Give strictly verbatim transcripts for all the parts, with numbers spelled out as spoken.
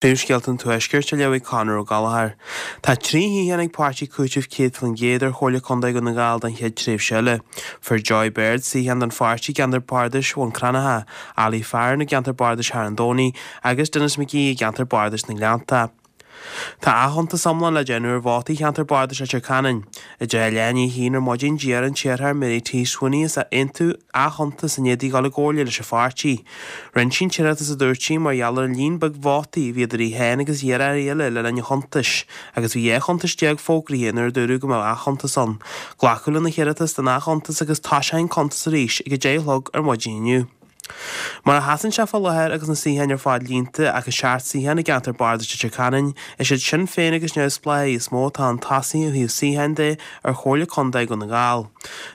Príomhscéalta an Tuaiscirt á léamh ag Conor Ó Gallchóir. Tá trí shuíochán ag Páirtí Cúitimh céad faoin gcéad ar Chomhairle Contae Dhún na nGall don chéad tréimhse eile. Fuair Joy Baird suíochán don pháirtí i gceantar bardais Bhun Cranncha, Ali Farren i gceantar bardais Charn Domhnaigh agus Denis McGee i gceantar bardais na nGleannta. Tá athchuntas iomlán le déanamh ar vótaí cheantar bardais Leitir Ceanainn. I deich i leath i ndiaidh a haon ar maidin d'iarr an t-iarrthóir Mary T Sweeney as Aontú athchuntas i ndiaidh di dhul i gcomhairle leis an pháirtí. Rinne sí an t-iarratas a dúirt sí mar gheall ar an líon beag vótaí a bhí idir í féin agus iarrthóirí eile le linn an chuntais, agus bhí dhá chuntas déag fógraithe nuair a dúradh go mbeadh athchuntas ann. Glacadh lena hiarratas don athchuntas agus toiseoidh an cuntas arís ag a deich a chlog ar maidin inniu. Mar a sheasann sé fá láthair agus na suíocháin ar fad líonta ach an seacht suíochán i gceantar bardais Leitir Ceanainn, is iad Sinn Féin agus Neamhspleáigh is mó atá chun tosaigh ó thaobh suíocháin de ar Chomhairle Contae Dhún na nGall.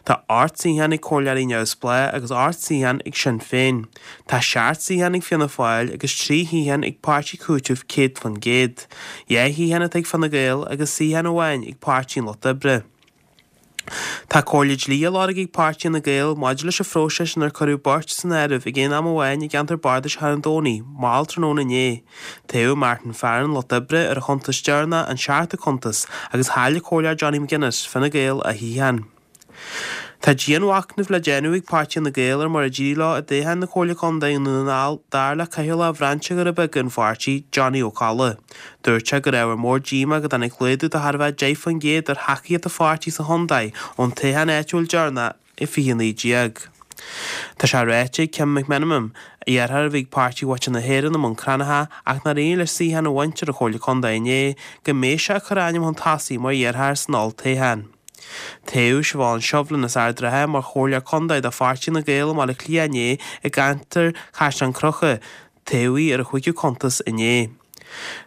Tá ocht suíochán ag comhairleoirí neamhspleách agus ocht suíochán ag Sinn Féin. Tá seacht suíochán ag Fianna Fáil agus trí shuíochán ag Páirtí Cúitimh céad faoin gcéad. Dhá shuíochán atá ag Fine Gael agus suíochán amháin ag Páirtí an Lucht Oibre. Tá comhairle dlí á lorg ag Páirtí Fhine Gael maidir leis an phróiseas inar cuireadh beirt san áireamh ag aon am amháin i gceantar bardais Charn Domhnaigh, mall tráthnóna inné. Toghadh Martin Farren, Lucht Oibre, ar a chuntas deireanach, an seachtú cuntas, agus chaill an Comhairleoir Johnny McGuinness, Fine Gael, a shuíochán. Tá dianmhachnamh le déanamh ag Páirtí Fhine Gael ar mar a d'éirigh leo i dtoghchán na Comhairle Contae i nDún na nGall, dar le Cathaoirleach Bhrainse Dhoirí Beaga an pháirtí, Johnny Ó Colla. Dúirt sé go raibh ábhar mór díomá go dtáinig laghdú de chóir a bheith deich faoin gcéad ar thacaíocht an pháirtí sa chontae ón toghchán áitiúil deireanach i fiche naoi déag. Tá sé ráite ag Kim McMenamin, iarrthóir a bhí ag Páirtí Mhuintir na hÉireann i mBun Cranncha ach nár éirigh leis suíochán a bhaint ar an Chomhairle Contae inné, go mbeidh sé ag cur a ainm chun tosaigh mar iarrthóir san olltoghchán. Toghadh Siobhán Shovlin as Ard an Rátha mar Chomhairleoir Contae do Pháirtí Fhine Gael i mBaile Átha Cliath inné i gceantar Chaisleán Cnucha. Toghadh í ar a chúigiú cuntas inné.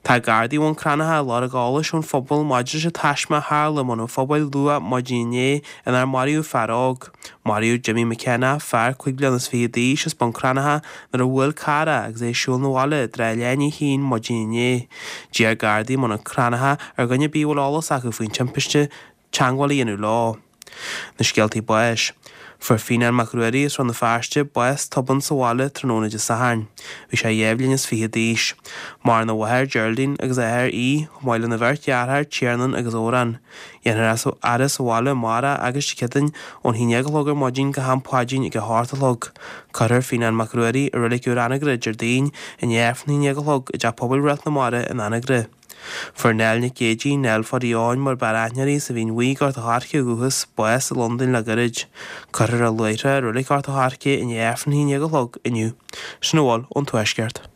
Tá Gardaí Bhun Cranncha ag lorg eolais ón phobal maidir leis an taisme a tharla i mBun an Phobail luath maidin inné inar maraíodh fear óg. Maraíodh Jimmy McKenna, fear cúig bliana is fiche d'aois as Bun Cranncha, nuair a bhuail carr é agus é ag siúl 'na bhaile i dtráth leath i ndiaidh a haon maidin inné. D'iarr Gardaí i mBun Cranncha ar dhuine ar bith a bhfuil eolas acu faoin timpiste teagmháil a dhéanamh leo. Na scéaltaí báis. Fuair Fionán Mac Ruairí as Rann na Feirste bás tobann sa bhaile tráthnóna Dé Sathairn. Bhí sé dhá bhliain is fiche d'aois. Maireann a mháthair Geraldine agus a athair Aodh, chomh maith lena bheirt dheartháir Tiarnán agus Odhrán. Dhéanfar é a fhaire sa bhaile amárach agus Dé Céadaoin ón haon déag a chlog ar maidin go ham paidrín ag a hocht a chlog. Cuirfear Fionán Mac Ruairí i Reilig Úr Anagaire Déardaoin i ndiaidh Aifreann a haon déag a chlog i dTeach Pobail Réalt na Mara in Anagaire. Fuair Nell Nic Géidigh, Nell Pháidí Eoin mar b'fhearr aithne uirthi as an Mhín Bhuí, Gort a' Choirce ó dhúchas, bás i Londain le gairid. Cuirfear í luaithreach i Reilig Ghort a' Choirce i ndiaidh Aifreann a haon déag a chlog inniu. Sin a bhfuil ón Tuaisceart.